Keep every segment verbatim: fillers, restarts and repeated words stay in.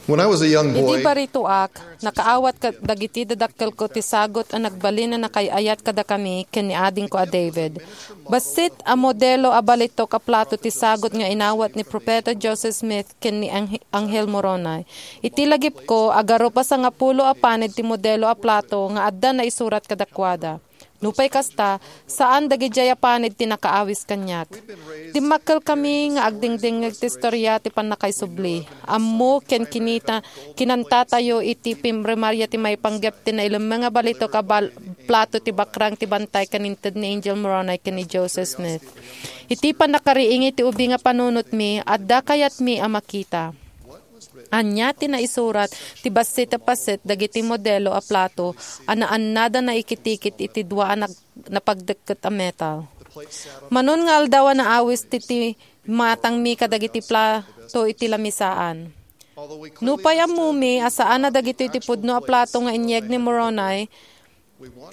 When I was a young Idi boy, baritoak, nakaawat kad-, dagiti dadakkelko ti sagut a nagbalin a nakaay-ayat kadakami ken ni adingko a David. Bassit a modelo a balitok a plato ti sagut nga inawat ni Profeta Joseph Smith ken ni Angh-, Angel Moroni. Iti lagipko, agarup a sangapulo a panid ti modelo a plato nga adda naisurat kadakuada. Nupay kasta, saan dagidiay a panid ti nakaawis kaniak. Dimmakkelkami nga agdingdingngeg ti istoria ti pannakaisubli. Ammo ken kinita, kinantatayo iti pimrimaria ti maipanggep ti nailemmeng a balitok a bal-, plato ti bakrang ti bantay ken inted ni Angel Moroni ken ni Joseph Smith. Iti pannakariing iti ubing a panunotmi, adda kayatmi a makita. Ania ti naisurat ti bassit a paset dagiti modelo a plato a naannada naikitikit iti dua a nag-, napagdekket a metal? Manon nga aldaw a naawis ti, ti matangmi kadagiti plato iti lamisaan. Nupay ammomi a saan a dagitoy ti pudno a plato nga inyeg ni Moroni,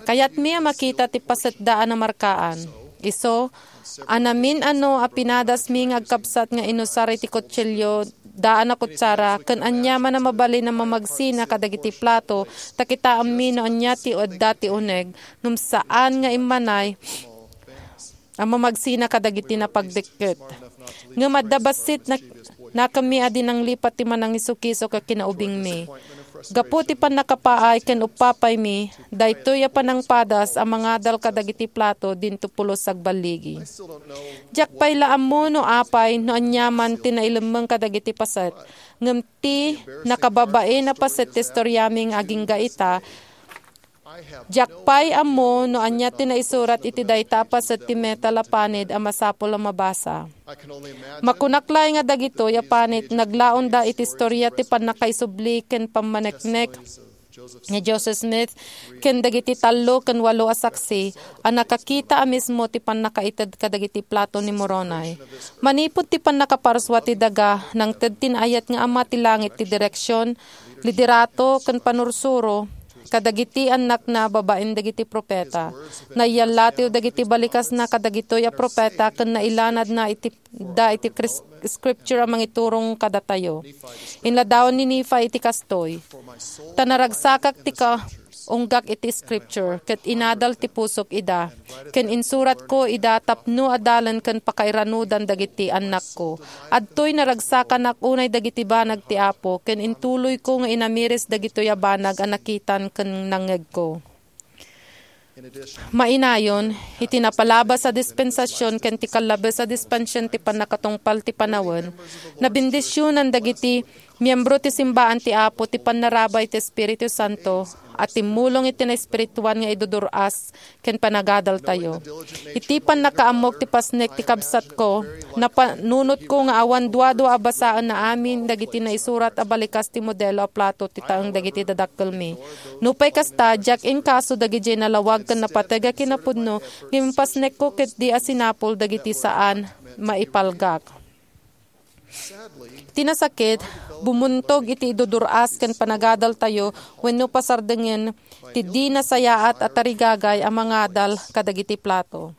kayatmi a makita ti pasetda a namarkaan. Isu, a namin-ano a pinadasmi nga agkabsat nga inusar iti kutsilio, daan a kutsara, ken aniaman a mabalin a mamagsina kadagiti plato, ta kitaemmi no ania ti adda ti uneg, ngem saan nga immanay a mamagsina kadagiti napagdekket. Ngem adda bassit nak-, nakemmi a di nanglipat ti manangisukisok a kinaubingmi. Gapu ti pannakapaay ken uppapaymi, daytoy a panangpadas a mangadal kadagiti plato dinto pulos agballigi. Diak pay la ammo no apay no aniaman ti nailemmeng kadagiti paset, ngem ti nakababain a paset ti istoriami nga agingga ita, diak pay ammo no ania ti naisurat iti dayta a paset ti metal a panid a masapul a mabasa. Makunak laeng nga dagitoy a panit naglaonda iti istoria ti pannakaisubli ken pammaneknek ni Joseph Smith ken dagiti tallo ken walo a saksi a nakakita a mismo ti pannakaited kadagiti plato ni Moroni. Manipud ti pannakaparsua ti daga, nangted ti naayat nga Ama ti langit ti direksion, liderato, ken panursuro kadagiti annakna babaen dagiti profeta. Naiyallatiw dagiti balikasna kadagitoy a profeta ken nailanadna iti, da iti kris-, scripture a mangiturong kadatayo. Inladawan ni Nephi iti kastoy, "Ta naragsakak ti kaunggak iti scripture, ket inadal ti pusok ida, ken insuratko ida tapno adalen ken pakairanudan dagiti annakko. Adtoy naragsakanak unay dagiti banag ti Apo, ken intuloyko nga inamiris dagitoy a banag a nakitan ken nangngegko." Mainayon, iti napalabas a dispensasion ken ti kallabes a dispensasion ti pannakatungpal ti panawen, nabendisionan dagiti miembro ti simbaan ti Apo ti pannarabay ti Espiritu Santo a timmulong iti naespirituan nga idudur-as ken panagadaltayo. Iti pannakaammok ti pasnek ti kabsatko, napanunotko nga awan duadua a basaen amin dagiti naisurat a balikas ti modelo a plato ti taeng dagiti dadakkelmi. Nupay kasta, diak inkaso dagidiay nalawag ken napateg a kinapudno, ngem impasnekko ketdi a sinapul dagiti saan maipalgak. Ti nasakit, bumuntog iti idudur-as ken panagadaltayo wenno pasardengen ti di nasayaat a tarigagay a mangadal kadagiti plato.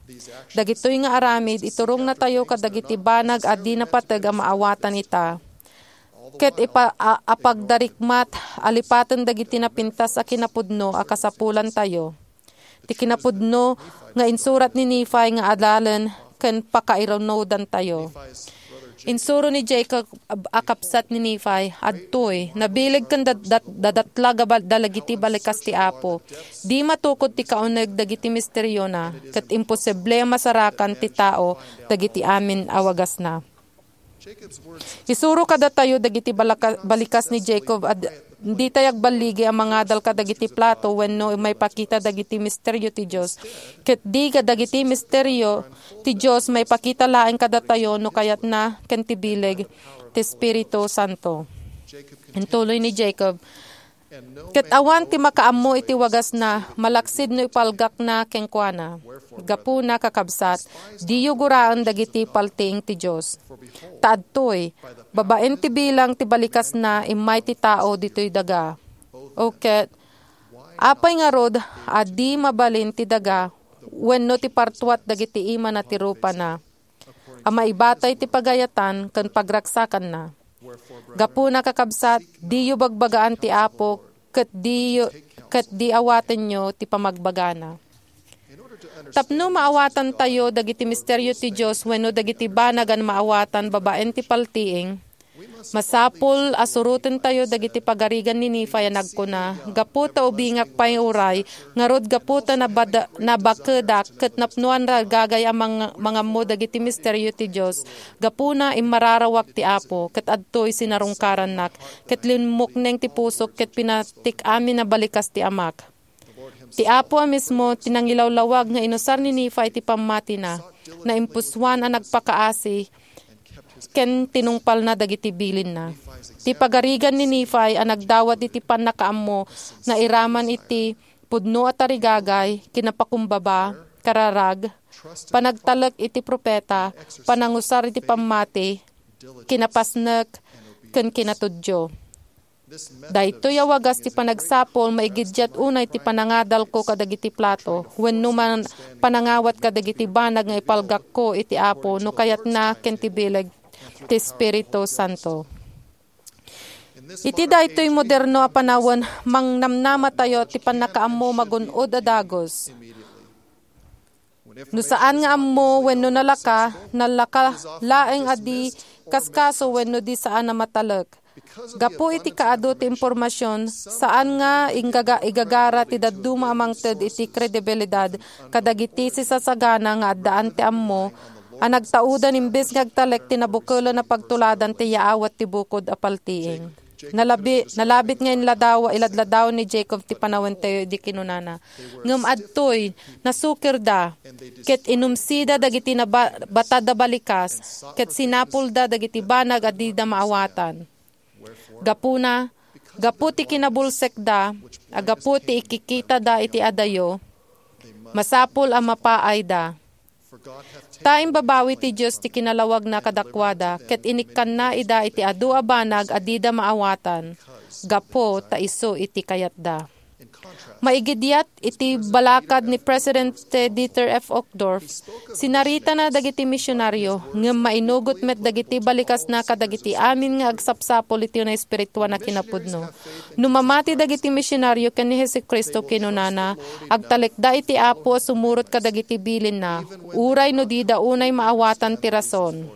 Dagitoy nga aramid, iturongnatayo kadagiti banag a di napateg a maawatan ita. Ket ipa-, a-, apagdarikmat, alipaten dagiti napintas a kinapudno a kasapulantayo. Ti kinapudno nga insurat ni Nephi nga adalen ken pakairanudantayo. Insuro ni Jacob a kabsat ni Nephi, "Adtoy, nabileg ken dat-, dat-, dadatlag a bal-, dalagiti balikas ti Apo. Di matukod ti kauneg dagiti misteriona, ket imposible a masarakan ti tao dagiti amin a wagasna." Isuro kadatayo dagiti balaka-, balikas ni Jacob a d-, ditay agballigi a mangadal kadagiti plato wenno maipakita dagiti misterio ti Dios. Ket di kadagiti misterio ti Dios maipakita laeng kadatayo no kayatna ken ti bileg ti Espiritu Santo. Intuloy ni Jacob, "Ket awan ti makaammo iti wagasna, malaksid no ipalgakna kenkuana. Gapuna, kakabsat, diyo guraen dagiti paltiing ti Dios. Ta adtoy, babaen ti bilang ti balikasna, immay ti tao ditoy daga. O ket, apay ngarud a di mabalin ti daga wenno ti partuat dagiti imana ti rupana a maibatay ti pagayatan ken pagragsakanna?" Gapuna, kakabsat, diyo bagbagaan ti Apo, ket diyo, ket di awatenyo ti pamagbagana. Tapno maawatantayo dagiti misterio ti Dios wenno dagiti banag a maawatan babaen ti paltiing, masapul a surotentayo dagiti pagarigan ni Nefi a nagkuna, gapu ta ubingak pay uray, ngarud gapu ta nabada-, nabakedak ket napnoan ragagay a mang-, mangammo dagiti misterio ti Dios, gapuna immararawak ti Apo, ket adtoy sinarungkarannak, ket limmukneng ti pusok ket pinatik amin a balikas ti amak. Ti Apo a mismo ti nangilawlawag nga inusar ni Nefi ti pammatina, naimpusuan a nagpakaasi, ken tinungpalna dagiti bilinna. Ti pagarigan ni Nefi a nagdawat iti pannakaammo nairaman iti pudno a tarigagay, kinapakumbaba, kararag, panagtalek iti propeta, panangusar iti pammati, kinapasnek, ken kinatudyo. Daytoy a wagas ti panagsapul, maigiddiat unay ti panangadalko kadagiti plato, wenno man panangawat kadagiti banag nga ipalgakko iti Apo no kayatna ken ti bileg ti Espiritu Santo. Iti daytoy moderno a panawen, mangnamnamatayo ti pannakaammo magun-od a dagus. No saan nga ammo wenno nalaka, nalaka laeng a di kaskaso wenno di saan a matalek. Gapu iti kaadu ti impormasion, saan nga inggaga-, igagara ti dadduma a mangted iti kredibilidad kadagiti sisasagana nga addaan ti ammo a nagtaudan imbes nga agtalek ti nabukelen a pagtuladan ti yaawat ti bukod a paltiing. Nalabi-, nalabit nga inladaw-, iladladaw ni Jacob ti panawentayo idi kinunana, "Ngem adtoy, nasukirda, ket inumsida dagiti naba-, batad a balikas, ket sinapulda dagiti banag a dida maawatan. Gapuna, gapu ti kinabulsekda, a gapu ti ikikitada iti adayo, masapul a mapaayda." Ta imbabawi ti Dios ti kinalawagna kadakuada, ket inikkanna ida iti adu a banag a dida maawatan, gapu ta isu iti kayatda. Maigidiat iti balakad ni Presidente Dieter F. Uchtdorf, sinaritana dagiti misionario, ngem mainugot met dagiti balikasna kadagiti amin nga agsapsapul iti naespirituan a kinapudno. No mamati dagiti misionario ken ni Jesu-Cristo, kinunana, agtalekda iti Apo a sumurot kadagiti bilinna, uray no dida unay maawatan ti rason.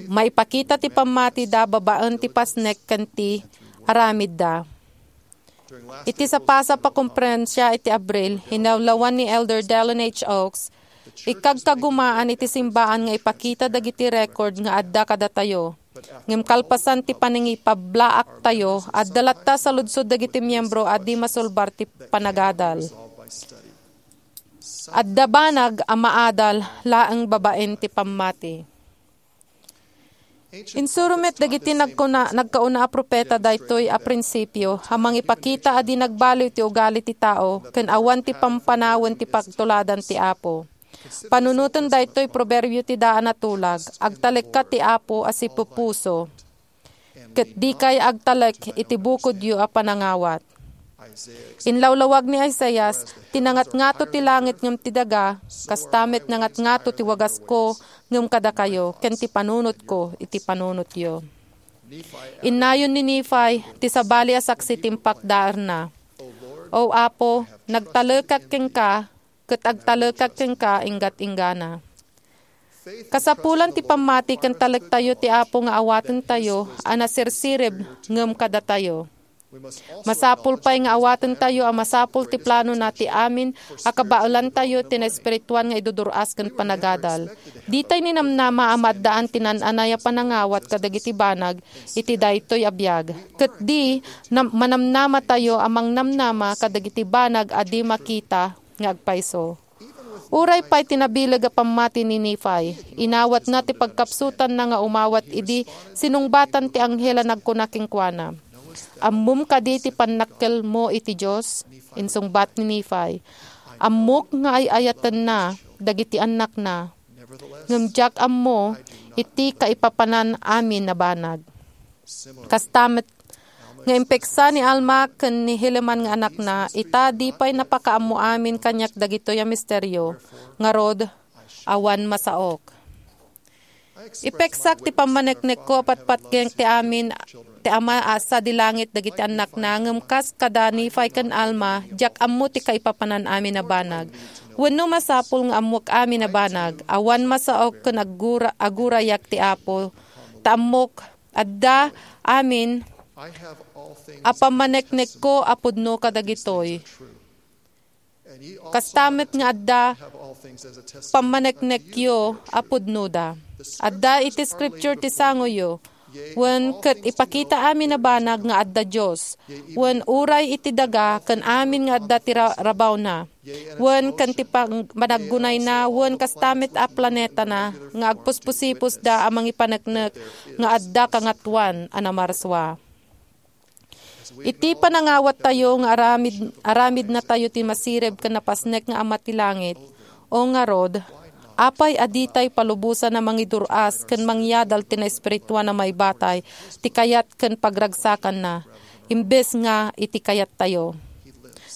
Maipakita ti pammatida babaen ti pasnek ken ti aramidda. Iti sapasap a komperensia iti Abril, inawlawan ni Elder Dallin H. Oaks, ikagkagumaan iti simbaan nga ipakita dagiti record nga adda kadatayo. Ngem kalpasan ti panangipablaaktayo, adda latta saludsod dagiti miyembro a di masulbar ti panagadal. Adda banag a maadal laeng babaen ti pammati. Insuro met dagiti nagkuna-, nagkauna a propeta daytoy a prinsipio a mangipakita a di nagbaliw ti ugali ti tao ken awan ti pampanawen ti pagtuladan ti Apo. Panunoten daytoy proverbio ti daan a tulag, "Agtalekka ti Apo a sipupuso, ket dikay agtalek iti bukodyo a panangawat." Inlawlawag ni Isaias, "Ti nangatngato ti langit ngem ti daga, kasta met nangatngato ti wagasko ngem kadakayo, ken ti panunotko iti panunotyo." Innayon ni Nefi ti sabali a saksi ti impakdaerna. "O Apo, nagtalekak kenka, ket agtalekak kenka inggat-inggana." Kasapulan ti pammati ken talektayo ti Apo nga awatentayo a nasirsirib ngem kadatayo. Masapul pay nga awatentayo a masapul ti planona ti amin a kabaelantayo ti naespirituan nga idudur-as ken panagadal. Ditay ninamnama a maaddaan ti naan-anay a panangawat kadagiti banag iti daytoy a biag. Ket di, nam-, manamnamatayo a mangnamnama kadagiti banag a di makita nga agpayso. Uray pay ti nabileg a pammati ni Nefi, inawatna ti pagkapsutanna nga umawat idi sinungbatan ti anghel a nagkuna kenkuana, "Ammom kadi ti pannakkelmo iti Dios?" Insungbat ni Nefi, "Ammok nga ay-ayatenna dagiti annakna, ngem diak ammo iti kaipapanan amin a banag." Kasta met nga impeksa ni Alma ken ni Helaman nga anakna, ita di pay napakaammo amin kaniak dagitoy a misterio. Ngarud, awan masaok. Ipeksak ti pammaneknekko a patpatgeng ti amin ti Ama a sadi langit dagiti annakna, ngem kas kada Nefi ken Alma, diak ammo ti kaipapanan amin a banag. Wenno masapul nga ammok amin a banag, awan masaok ken aggura-, agurayak ti Apo, ta ammok adda amin a pammaneknekko a pudno kadagitoy. Kasta met nga adda pammaneknekyo a pudnoda. Adda iti Scripture ti sangoyo, wen ket ipakita amin a banag nga adda Dios, wen uray iti daga ken amin nga adda ti ra-, rabawna, wen ken ti pang-, panaggunayna, wen kasta met a planetana nga agpuspusipusda a mangipaneknek nga adda kangatoan a namarsua. Iti panangawattayo nga aramid, aramidnatayo ti masirib ken napasnek nga Ama ti langit, o ngarud, apay a ditay palubosan a mangidur-as ken mangyadal ti naespirituan a maibatay ti kayat ken pagragsakanna, imbes nga iti kayattayo?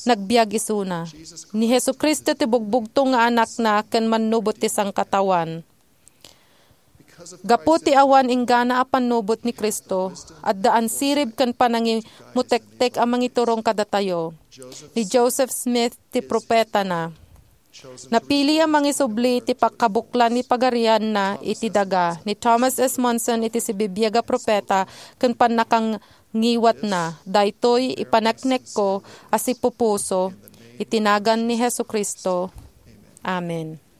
Nagbiag isuna. Ni Jesu-Cristo ti bugbugtong nga Anakna ken Mannubot ti Sangkataoan. Gapu ti awan inggana a pannubot ni Cristo, adda ansirib ken panangimutektek a mangiturong kadatayo. Ni Joseph Smith ti propetana. Napili a mangisubli ti pakkabuklan ni pagarianna iti daga. Ni Thomas S. Monson iti sibibiag a propeta ken pannakangiwatna. Daytoy ipaneknekko a sipupuso iti nagan ni Jesu-Cristo. Amen.